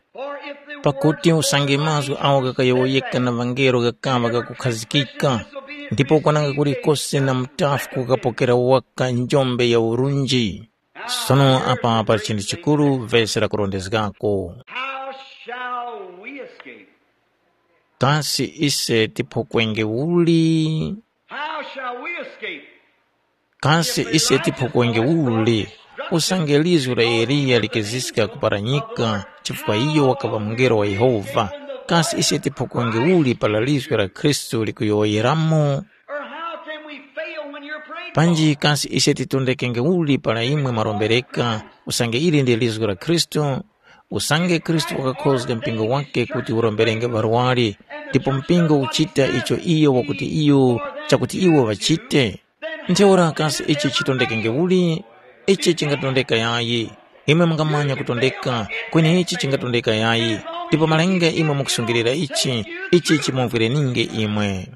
Pakuti usange mazgu agho ghakayowoyeka na ŵangelo ghakaŵa ghakukhazikika, ndipo kwananga kulikose na mutafu kukapokera waka njombe ya urunji. Sono apa pali chinthu chikuru vesi lakurondezgako. How shall we escape? Kasi ise tiphokwenge uli? How shall we escape? Kasi ise tiphokwenge uli? Usange lizgu la Eliya likiziska kuparanyika chifukwa iyo wakaŵa mungelo wa Yehova, kasi ise tiphokwenge uli para lizgu la Khristu likuyowoyeramo? Or how can we fail when you're praying for Panji kasi ise titondekenge uli para imwe mwarombereka, usange ili ndi lizgu la Khristu? Usange Khristu wakakhozga mpingo wake kuti uromberenge ŵarwari, ndipo mpingo uchita icho iyo wakuti iyo chakuti iwo ŵachite? Ntheura kasi ichi chitondekenge uli? Ichi chingatondeka yayi. Imwe mungamanya kutondeka, kweni ichi chingatondeka yayi. Ndipo malinga imwe mukusungilira ichi, ichi chimumvwireninge imwe.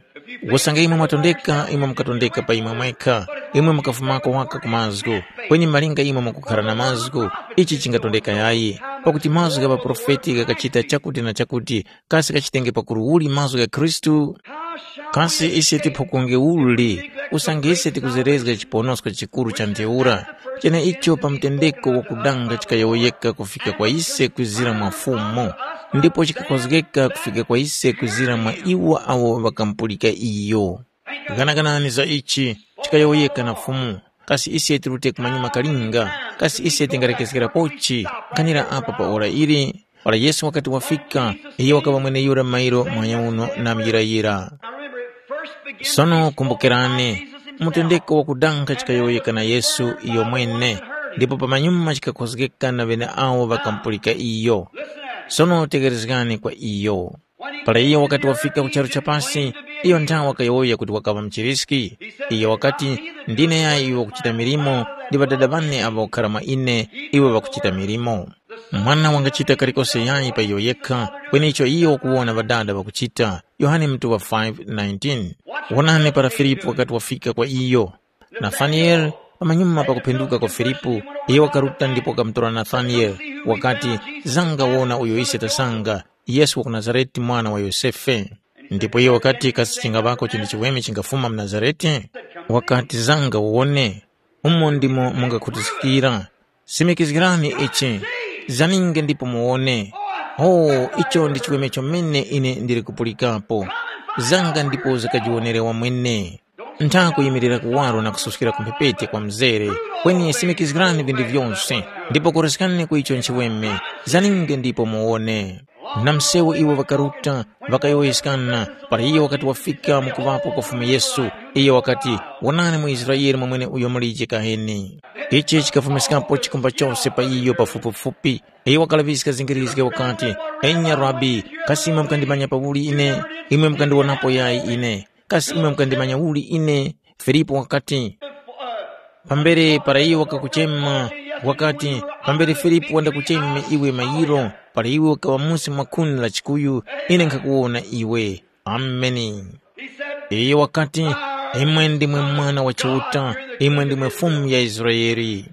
Usange imwe mwatondeka, imwe mukatondeka pa imwe mwekha. Imwe mukafumako waka ku mazgu, kweni malinga imwe mukukhara na mazgu, ichi chingatondeka yayi. Pakuti mazgu gha ŵaprofeti ghakachita chakuti na chakuti, kasi ghachitenge pakuru uli mazgu gha Khristu? Kasi ise tiphukunge uli, usange ise tikuzerezga chiponosko chikuru cha ntheura, cheneicho pa mtendeko wakudanga chikayowoyeka kufika kwa ise kwizira mwa Fumu, ndipo chikakhozgeka kufika kwa ise kwizira mwa iwo awo ŵakamupulika iyo? Ghanaganani za ichi, chikayowoyeka na Fumu, kasi ise tirute kumanyuma kalinga, kasi ise tingalekezgerapochi? Nkhanira apa pa ora ili, para Yesu wakati wafika, iyo wakaŵa mweneyura mairo muhanya uno na muyirayira. Sono kumbukirani, mutendeko wakudanga chikayowoyeka na Yesu iyomwene, ndipo pamanyuma chikakhozgeka na ŵeneawo ŵakamupulika iyo. Sono tegherezgani kwa iyo. Para iyo wakati wafika ku charu cha pasi, iyo nthawe wakayowoya kuti wakaŵa muchiriski. Iyo wakati, “Ndine yayi uyo wakuchita milimo, ndi Ŵadada ŵane awo ŵakukhara mwa ine, iwo ŵakuchita milimo.” Mwana wangachita kalikose yayi pa iyo yekha, kwenecho iyo wakuwona Ŵadada ŵakuchita. Yohane mutuŵa five nineteen. Wonani para Filipu wakati wafika kwa iyo. Nathaniele, pamanyuma pakuphenduka kwa Filipu, iyo wakaruta ndipo wakamutora Nathaniele, wakati, “Zanga wona uyo ise tasanga, Yesu wa ku Nazarete mwana wa Yosefe.” Ndipo iyo wakati, “Kasi chingaŵako chinthu chiweme chingafuma mu Nazarete?” Wakati, “Zanga uwone, umo ndimo mungakhutuskira. Simikizgirani ichi, zaninge ndipo muwone. Oh, icho ndi chiweme chomene ine ndili kupulikapo. Zanga ndipo zakajiwonere wamwene. Ntha kuyimirira kuwaro na kususkira ku mphepete kwa mzere, kweni simikizgirani vinthu vyose, ndipo koreskani ku icho nchiweme, zaninge ndipo muwone.” Na msewu iwo ŵakaruta, ŵakayowoyeskana, para iyo wakati wafika mu kuŵapo kwa Fumu Yesu, iyo wakati, “Wonani muIsraele mwamwene uyo mulije kaheni.” Ichi chikafumiskapo chikumba chose pa iyo pafupifupi. Iyo wakalaŵiska zingirizge wakati, “Enya Rabi, kasi imwe mukandimanya pauli ine? Imwe mukandiwonapo yayi ine. Kasi imwe mukandimanya uli ine?” Filipu wakati, “Pambere para iyo wakakuchema, wakati, ‘Pambere Filipu wandakucheme iwe mayiro, para iwe ukaŵa musi mwa khuni la chikuyu, ine nkhakuwona iwe.’” Ameni. Iyo wakati, “Imwe ndimwe Mwana wa Chiuta, imwe ndimwe Fumu ya Israele.”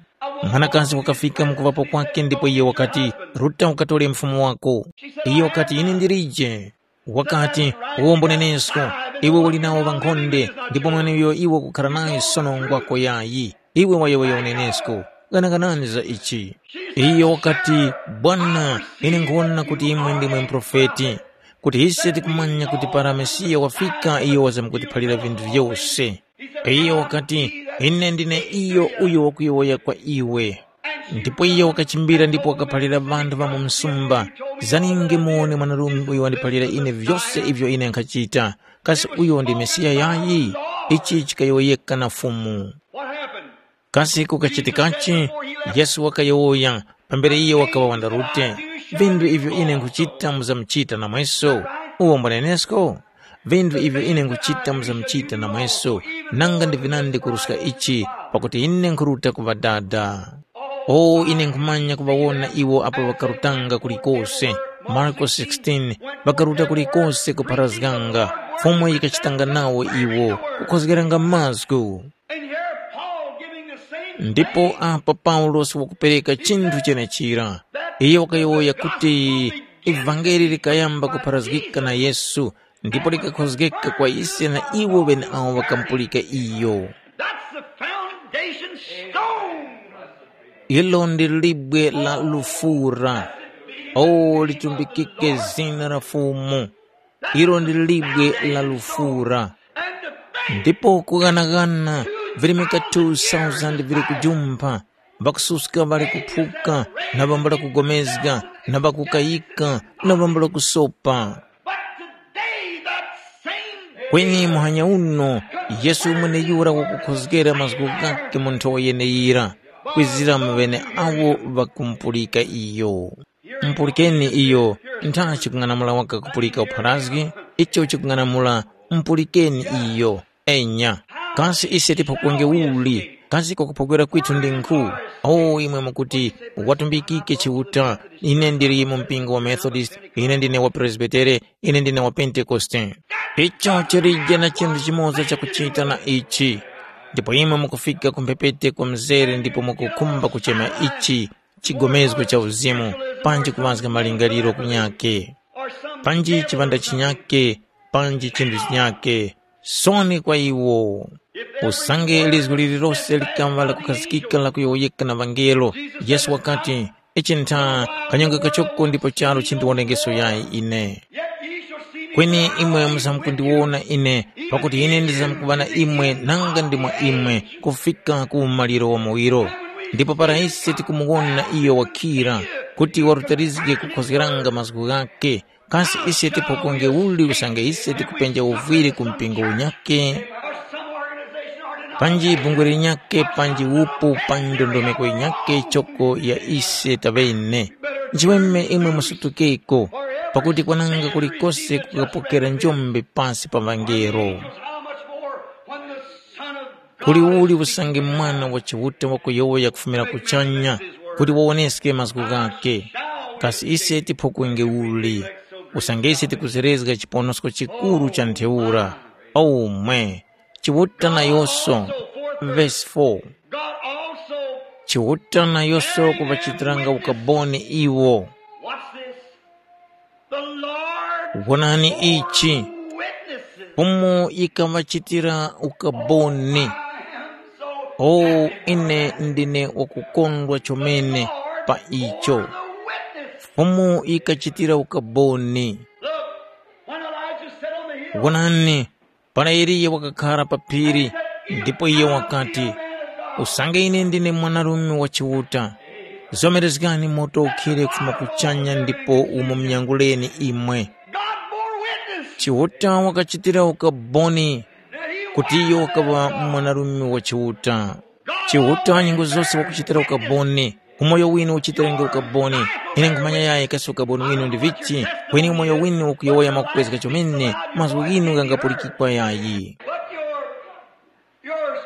Mwanakazi wakafika mu kuŵapo kwakhe ndipo iyo wakati, “Ruta ukatore mfumu wako.” Iyo wakati, “Ine ndilije.” Wakati, “Uwombo nenesko, iwe uli nawo ŵankhonde, ndipo mweneuyo iwe ukukhara nayo sono ngwako yayi. Iwe wayowoya unenesko, ghanaganani za ichi.” Iyo wakati, “Bwana, ine nkhuwona kuti imwe ndimwe muprofeti, kuti ise tikumanya kuti para Mesiya wafika iyo wazamkutiphalira vinthu vyose.” Iyo wakati, “Ine ndine iyo uyo wakuyowoya kwa iwe.” Ndipo iyo wakachimbira ndipo wakaphalira ŵanthu ŵa mu msumba, “Zaninge muwone mwanarume uyo wandiphalira ine vyose ivyo ine nkhachita. Kasi uyo ndi Mesiya yayi?” Ichi chikayowoyeka na Fumu. What happened? Kasi kukachitikachi? Yesu wakayowoya, pambere iyo wakaŵa wandarute, “Vinthu ivyo ine nkhuchita muzamuchita namweso. Uwo mbwanenesko? Vinthu ivyo ine nkhuchita muzamuchita namweso, nanga ndi vinandi kuruska ichi, pakuti ine nkhuruta ku Ŵadada.” O, ine nkhumanya kuŵawona iwo apo ŵakarutanga kulikose. Marko sixteen, ŵakaruta kulikose kupharazganga, Fumu yikachitanga nawo iwo, kukhozgeranga mazgu. And here Paul giving the same Ndipo thing. Apa Paulosi wakupereka chinthu chenechira. Iye wakayowoya kuti ivangeli likayamba kupharazgika na Yesu, ndipo likakhozgeka kwa ise na iwo ŵeneawo ŵakamupulika iyo. That's the foundation stone. Ilo ndi libwe la lufura. O, litumbikike zina la Fumu. Ilo ndi libwe la lufura. Ndipo kughanaghana virimika two thousand vili kujumpha, ŵakususka ŵali kuphuka, na ŵambula kugomezga, na ŵakukayika, na ŵambula kusopa. But today that same Kweni muhanya uno, Yesu mweneyura wakukhozgera mazgu ghakhe mu nthowa yeneyira, kwizira mu ŵeneawo ŵakumupulika iyo. Mupulikeni iyo, ntha chikung'anamula waka kupulika upharazgi, icho chikung'anamula, mupulikeni iyo. Enya, kasi ise tiphokwenge uli? Kasi kwakuphokwera kwithu ndi nkhu? O, imwe mukuti, watumbikike Chiuta, ine ndili mu mpingo wa Methodist, ine ndine wa Presbitere, ine ndine wa Pentekoste. Icho chilije na chinthu chimoza chakuchita na ichi. Ndipo imwe mukufika ku mphepete kwa mzere ndipo mukukhumba kuchema ichi chigomezgo cha uzimu, panji kuŵazga malingaliro kunyakhe, panji chiŵanda chinyakhe, panji chinthu chinyakhe. Soni kwa iwo! Usange lizgu lililose likaŵa lakukhazikika lakuyowoyeka na ŵangelo, Yesu wakati, “Ichi ntha kanyonga kachoko ndipo charu chindiwonekeso yayi ine. Kweni imwe muzamkundiwona ine, pakuti ine ndizamkuŵa na imwe nanga ndi mwa imwe kufika ku umaliro wa muwiro. Ndipo para ise tikumuwona iyo wakhira, kuti warutarizge kukhozgeranga mazgu ghakhe, kasi ise tiphokonge uli usange ise tikupenja uvwiri ku mpingo unyakhe? Panji bungwe linyakhe panji upu pa ndondomeko yinyakhe choko ya ise taŵene. Nchiweme imwe musutukeko, pakuti kwananga kulikose kukapokera njombe pasi pa ŵangelo. Kuli uli usange Mwana wa Chiuta wakuyowoya kufumira kuchanya kuti wawoneske mazgu ghakhe? Kasi ise tiphokwenge uli? Usange ise tikuzerezga chiponosko chikuru cha ntheura, omwe Chiuta nayoso, vesi four, God also Chiuta nayoso kuŵachitiranga ukaboni iwo. What's this? The Lord Wonani ichi, witnesses. Fumu yikaŵachitira ukaboni. I am so O, happy ine ndine wakukondwa chomene pa icho. The witness. Fumu yikachitira ukaboni. Look, when Elijah sat on the hill, Wonani, para Eliya wakakhara pa phiri, ndipo iyo wakati, usange ine ndine mwanarume wa Chiuta, zomerezgani moto ukhire kufuma kuchanya ndipo umumnyanguleni imwe. God bore witness Chiuta wakachitira ukaboni that he kuti iyo wakaŵa mwanarume wa Chiuta. Chiuta nyengo zose wakuchitira ukaboni, umoyo winu uchitirenge ukaboni. Ine nkhumanya yayi kasi ukaboni winu ndi vichi, kweni umoyo winu ukuyowoya mwakukwezga chomene, mazgu ghinu ghangapulikikwa yayi. But your, your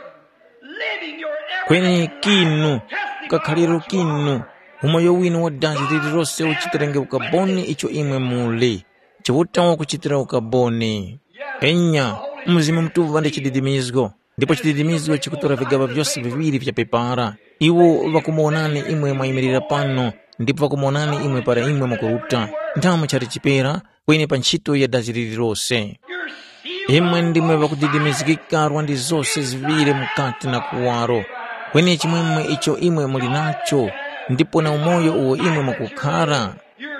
living, your Kweni everything kinu, kakhaliro kinu, umoyo winu wa dazi lililose uchitirenge ukaboni icho imwe muli. Chiuta wakuchitira ukaboni. Enya, Mzimu Mutuŵa ndi chididimizgo, ndipo chididimizgo chikutora vigaŵa vyose viŵiri vya pepara. Iwo ŵakumuwonani imwe mwayimirira pano, ndipo ŵakumuwonani imwe para imwe mukuruta. Nthamu chali chipera, kweni pa ntchito ya dazi lililose. Imwe ndimwe ŵakudidimizgika rwandi zose ziŵiri mukati na kuwaro, kweni chimwemwe icho imwe muli nacho, ndipo na umoyo uwo imwe mukukhara.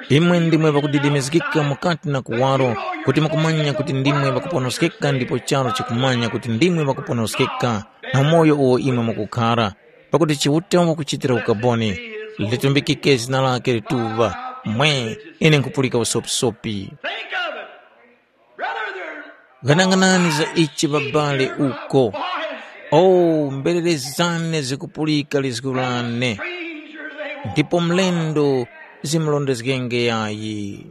Imwe ndimwe ŵakudidimizgika mukati na kuwaro, kuti mukumanya kuti ndimwe ŵakuponoskeka ndipo charu chikumanya kuti ndimwe ŵakuponoskeka, na umoyo uwo imwe mukukhara. Pakuti Chiuta wakuchitira ukaboni, litumbikike zina lake lituŵa. Mwe, ine nkhupulika usopisopi. Think of it. Brother, there's Ghanang'anani za ichi babale uko. Voice. O, mberere zane zikupulika lizgu lane, stranger they won't ndipo mlendo zimulondezgenge yayi.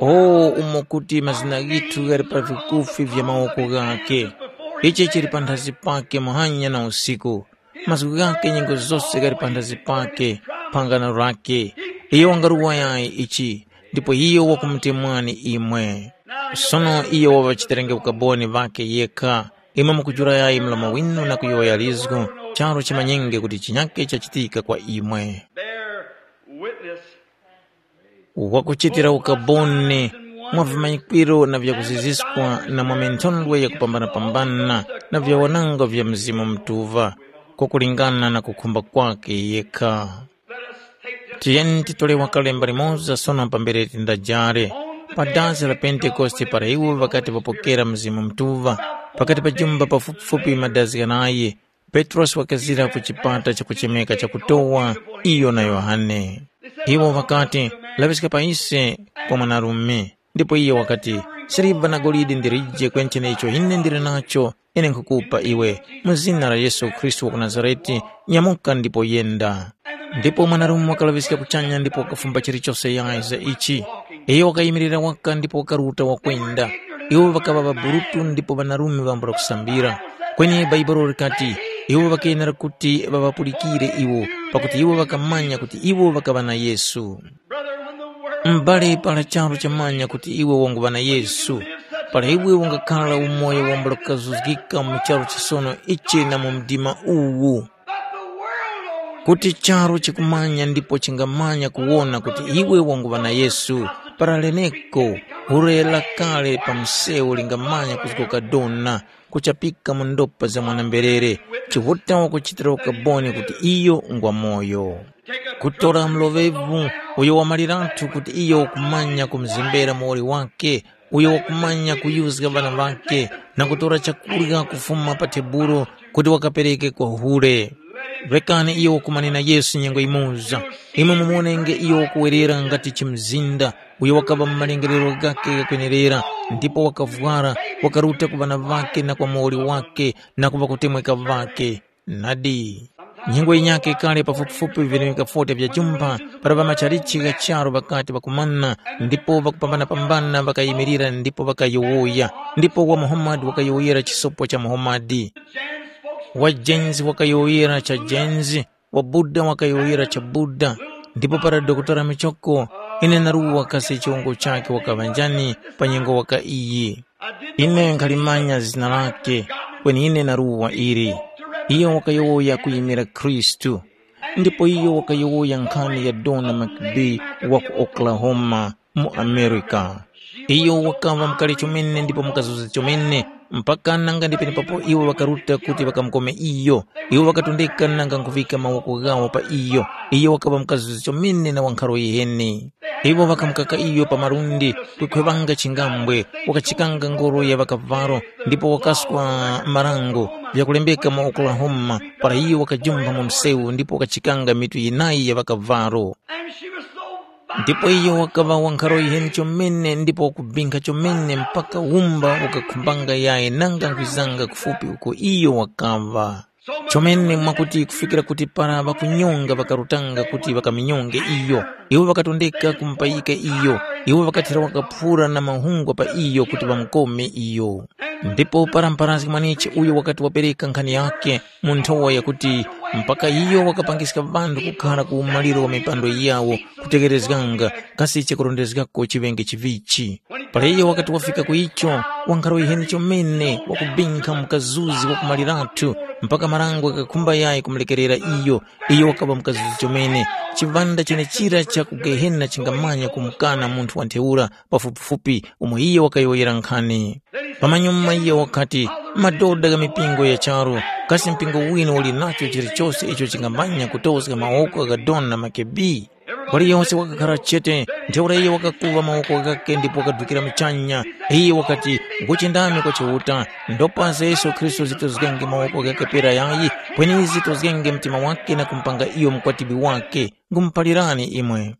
O, umo kuti mazina ghithu ghali pa vikufi vya mawoko ghakhe, ichi chili panthazi pake muhanya na usiku. Mazgu ghakhe nyengo zose ghali panthazi pake, phangano lake. Iyo wangaruwa yayi ichi, ndipo iyo wakumutemwani imwe. Sono iyo waŵachiterenge ukaboni ŵakhe yekha. Imwe mukujula yayi mlomo winu na kuyowoya lizgu, charu chimanyenge kuti chinyakhe chachitika kwa imwe. Bear witness. Wakuchitira ukaboni mwa vimanyikwiro na vyakuziziskwa na mwa minthondwe yakupambanapambana na vyawananga vya Mzimu Mutuŵa, kwakulingana na kukhumba kwakhe yekha. Tiyeni titole wakalemba limoza sono pambere tindajare. Pa dazi la Pentekoste para iwo ŵakati ŵapokera Mzimu Mutuŵa, pakati pa jumba pafupifupi madazi ghanayi, Petrosi wakazira ku chipata chakuchemeka cha kutowa, iyo na Yohane. Iwo ŵakati, “Laŵiska pa ise kwa mwanarume.” Ndipo iye wakati, “Siliva na golide ndilije kweni chenecho ine ndili nacho, ine nkhukupa iwe. Mu zina la Yesu Khristu wa ku Nazarete, nyamuka ndipo yenda.” Ndipo mwanarume wakalaŵiska kuchanya ndipo wakafumba chilichose yayi za ichi. Iyo wakayimirira waka ndipo wakaruta wakwenda. Iwo ŵakaŵa ŵaburutu ndipo ŵanarume ŵambula kusambira. Kweni Bhaibuli likati, iwo ŵakayenera kuti ŵaŵapulikire iwo, pakuti iwo ŵakamanya kuti iwo ŵakaŵa na Yesu. M'bale, para charu chamanya kuti iwe wanguŵa na Yesu, Para iwe ungakhala umoyo wambula kukazuzgika mu charu chisono ichi na mu mdima uwu, kuti charu chikumanya ndipo chingamanya kuwona kuti iwe wanguŵa na Yesu, para leneko, hure la kale pa msewu lingamanya kuzgoka dona, kuchapika mu ndopa za mwana-mberere, Chiuta wakuchitira ukaboni kuti iyo ngwamoyo. Kutora mloŵevu uyo wamaliratu kuti iyo wakumanya kumuzembera muwoli wakhe, uyo wakumanya kuyuzga ŵana ŵakhe na kutora chakurya kufuma pa tebulo kuti wakapereke kwa hure. Rekani iyo wakumanena Yesu nyengo yimoza, imwe mumuwonenge iyo wakuwerera ngati chimzinda, uyo wakaŵa mu malengerero ghakhe ghakwenerera, ndipo wakavwara, wakaruta ku ŵana ŵakhe na kwa muwoli wakhe na ku ŵakutemweka ŵakhe. Nadi, nyengo yinyakhe kale pafupifupi vilemeka forty vya jumpha, para ŵamachalichi gha charu ŵakati ŵakumana, ndipo ŵakupambanapambana ŵakayimirira ndipo ŵakayowoya, ndipo wa Muhammad wakayowoyera chisopo cha Muhammad, wa James wakayowoyera cha James, wa Buddha wakayowoyera cha Buddha, ndipo para Dokotala Michoko, ine naruwa kasi chiwongo chakhe wakaŵa njani pa nyengo waka iyi. Ine nkhalimanya zina lakhe, kweni ine naruwa ili. Iyo wakayowoya kuyimira Khristu, ndipo iyo wakayowoya nkhani ya Donna McBee wa ku Oklahoma mu America. Iyo wakaŵa mukali chomene ndipo mukazuza chomene, mpaka nanga ndi penepapo iwo ŵakaruta kuti ŵakamukome iyo. Iwo ŵakatondeka nanga nkuvika mawoko ghawo pa iyo. Iyo wakaŵa mukazuza chomene na wankharo yiheni. Iwo ŵakamukaka iyo pa malundi, kukhwevanga chingambwe, wakachikanga ngoro ya ŵakavalo, ndipo wakaswa marango vyakulembeka mu Oklahoma, para iyo wakajumpha mu msewu ndipo wakachikanga mitu yinayi ya ŵakavalo. And she was so Ndipo iyo wakaŵa wankharo yiheni chomene ndipo wakubinkha chomene mpaka wumba ukakhumbanga yaye nanga nkhwizanga kufupi uko iyo wakaŵa. Chomene mwakuti kufikira kuti para ŵakunyonga ŵakarutanga kuti ŵakaminyonge iyo, iwo ŵakatondeka kumupayika iyo, iwo ŵakathera wakaphura na mahungwa pa iyo kuti ŵamukome iyo. Ndipo para mpharazgi mwanichi uyo wakati wapereka nkhani yakhe, mu nthowa yakuti, mpaka iyo wakapangiska ŵanthu kukhara ku umaliro wa mipando yawo kutegherezganga kasi chakurondezgako chiŵenge chivichi. Para iyo wakati wafika ku icho, wankharo yiheni chomene wakubinkha mukazuzi wakumaliratu mpaka marango ghakakhumba yayi kumulekerera iyo. Iyo wakaŵa mukazuzi chomene, chiŵanda chenechira cha ku Gehena chingamanya kumukana munthu wa ntheura pafupifupi umo iyo wakayowoyera nkhani. Pamanyuma iyo wakati, madoda gha mipingo ya charu, kasi mpingo wina uli nacho chilichose icho chingamanya kutozga mawoko gha Dona Makebi? Waliyose wakakhara chete, ntheura iyo wakakuva mawoko ghakhe ndipo wakadukira muchanya. Iye wakati, nguchindami kwa Chiuta, ndopa za Yesu Khristu zitozgenge mawoko ghakhe pera yayi, kweni zitozgenge mtima wakhe na kumpanga iyo mukwatibwi wakhe. Ngumuphalirani imwe,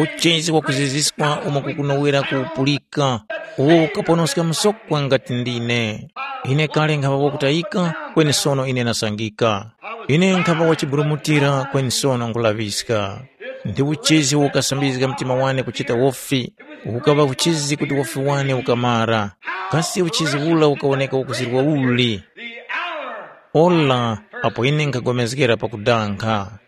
uchezi wakuziziska umo kukunowera kupulika, uwo ukaponoska msokwa ngati ndine. Ine kale nkhaŵa wakutayika, kweni sono ine nasangika. Ine nkhaŵa wachiburumutira, kweni sono nkulaŵiska. Ndi uchezi ukasambizga mtima wane kuchita wofi, ukaŵa uchezi kuti wofi wane ukamara. Kasi uchezi ula ukawoneka wakuzirwa uli? Ola, apo ine nkhapulikana pakudanga.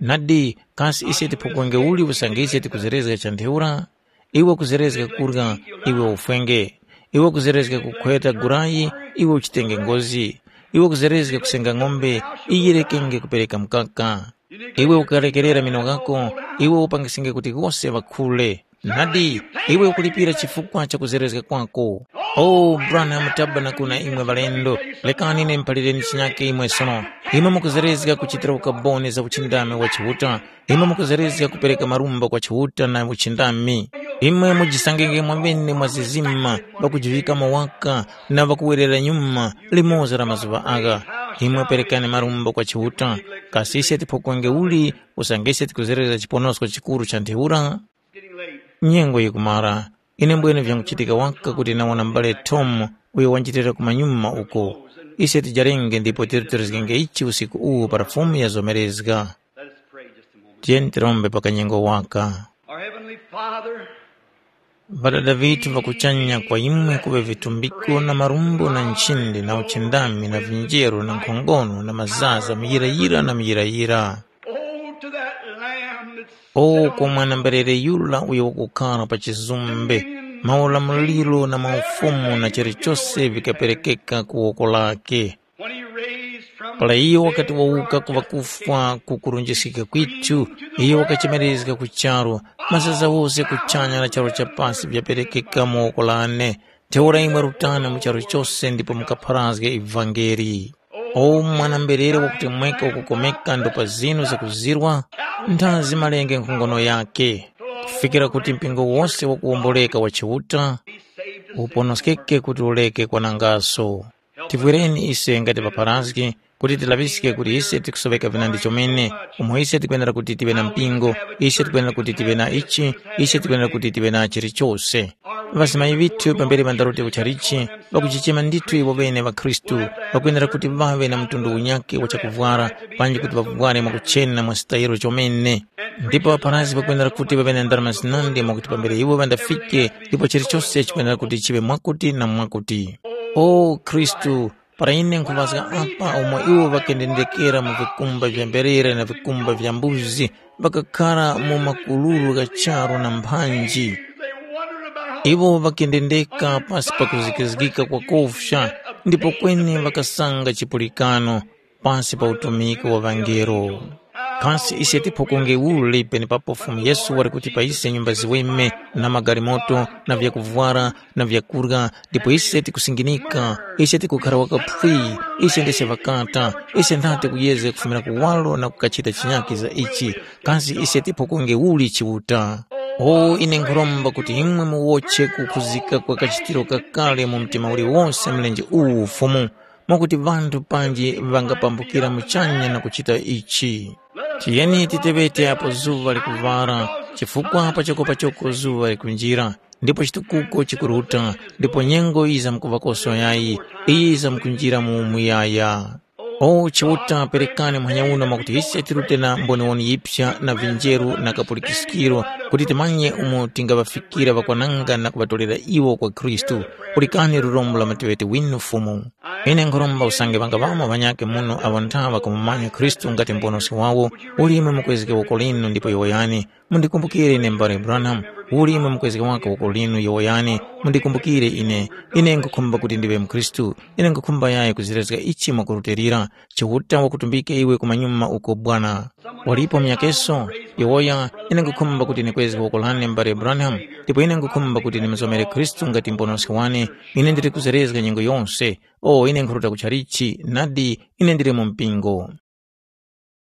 Nadi, kasi ise tiphukenge uli usange ise tikuzerezga cha ntheura? Iwe ukuzerezga kurya, iwe ufwenge. Iwe ukuzerezga kukhweta gulayi, iwe uchitenge ngozi. Iwe ukuzerezga kusenga ng'ombe, iyirekenge kupereka mukaka. Iwe ukalekerera mino ghako, iwe upangisinge kuti ghose ŵakhule. Nadi, iwe ukulipira chifukwa cha kuzerezga kwako. O Branham Tabernacle na imwe ŵalendo, lekani ine muphalireni chinyake imwe sono. Imwe mukuzerezga kuchitira ukaboni za uchindami wa Chiuta. Imwe mukuzerezga kupereka marumba kwa Chiuta na uchindami. Imwe mujisangenge mwamene mwa zizima, ŵakujivikamo waka na ŵakuwerera nyuma limoza la mazuŵa agha. Imwe perekani marumba kwa Chiuta. Kasi ise tiphokenge uli usange ise tikuzerera chiponosko chikuru cha ntheura? Nyengo yikumara. Ine mbwene vyanguchitika waka kuti nawona m'bale Tom uyo wanjitira kumanyuma uko. Ise tijarenge ndipo tirutilizgenge ichi usiku uwu para Fumu yazomerezga. Let us pray just a moment. Tiyeni tirombe pa kanyengo waka. Our Heavenly Father, Ŵadada vitu va kuchanya, kwa imwe kuŵe vitumbiko na marumbo na nchindi na uchindami na vinjeru na nkhongono na mazaza muyirayira na muyirayira. Oh, to that lamb that's O kwa mwana-mberere yura uyo wakukhara pa chizumbe, Maulamuliro na maufumu na chilichose vikaperekeka ku woko lake. When he raised from Para iyo wakati wauka ku ŵakufwa ku kurunjiskika kwithu, iyo wakachemerezga ku charu, mazaza wose kuchanya na charu cha pasi vyaperekeka mu woko lane. Ntheura imwe rutani mu charu chose ndipo mukapharazge ivangeli. O mwana-mberere wakutemweka wakukomeka ndo pa zinu zakuzirwa, nthazi malenge nkhongono yake, kufikira kuti mpingo wose wakuwomboleka wa Chiuta, uponoskeke kuti uleke kwanangaso. Tivwereni ise ngati ŵapharazgi kuti tilaŵiske kuti ise tikusoweka vinandi chomene, umo ise tikwenera kuti tive na mpingo, ise tikwenera kuti tive na ichi, ise tikwenera kuti tive na chilichose. Ŵazimayi ŵithu pambere ŵandaruti kuchalichi, ŵakuchichema ndithu iwo ŵene ŵakhristu, ŵakwenera kuti ŵaŵe na mtundu unyakhe wa chakuvwara, panji kuti ŵavware mwakuchena mwa sitayiro chomene. Ndipo ŵapharazgi ŵakwenera kuti ŵaŵe na ndarama zinandi mwakuti pambere iwo ŵandafike, ndipo chilichose chikwenera kuti chiŵe mwakuti na mwakuti. O Khristu, para ine nkhuŵazga apa umo iwo ŵakendendekera mu vikumba vya mberere na vikumba vya mbuzi, ŵakakhara mu makululu gha charu na mphanji. Iwo ŵakendendeka pasi pa kuzikizgika kwa kufya, ndipo kweni ŵakasanga chipulikano pasi pa utumiki wa ŵangelo. Kasi ise tiphokonge uli penepapo Fumu Yesu wali kuti pa ise nyumba ziweme na magalimoto na vyakuvwara na vyakurya, ndipo ise tikusinginika, ise tikukhara wakaphwi, ise ndese ŵakata, ise nthate kuyezga kufumira kuwaro na kukachita chinyakhe za ichi, kasi ise tiphokonge uli Chiuta? O ine nkhuromba kuti imwe muwotche kukhuzika kwa kachitiro kakale mu mtima uliwose mlenje uwu Fumu, mwakuti ŵanthu panji ŵangapambukira muchanya na kuchita ichi. Tiyeni titeŵete apo zuŵa likuŵala, chifukwa pachokopachoko zuŵa likunjira, ndipo chitukuko chikuruta, ndipo nyengo yizamkuŵakoso yayi, iyi yizamkunjira mu muyaya. O Chiuta, perekani muhanya uno mwakuti ise tirute na mboniwoni yipsa na vinjeru na kapulikiskiro, kuti timanye umo tingaŵafikira ŵakwananga na kuŵatorera iwo kwa Khristu. Pulikani lurombo la mateŵeti winu Fumu. Ine nkhuromba usange ŵangaŵamo ŵanyakhe muno awo nthawa kumumanya Khristu ngati Muponoski wawo, uli imwe mukwezge woko linu ndipo yowoyani, mundikumbukire ine m'bale Branham, uli imwe mukwezge waka woko linu yowoyani, mundikumbukire ine, ine nkhukhumba kuti ndiŵe mukhristu, ine nkhukhumba yayi kuzirezga ichi mwakurutilira, Chiuta wakutumbike iwe kumanyuma uko Bwana. Walipo munyakeso? Yowoya, ine nkhukhumba kuti ndikwezge woko lane m'bale Branham, ndipo ine nkhukhumba kuti ndimuzomere Khristu ngati Muponoski wane, ine ndili kuzerezga nyengo yonse, o ine nkhuruta kutchalichi, nadi, ine ndili mu mpingo.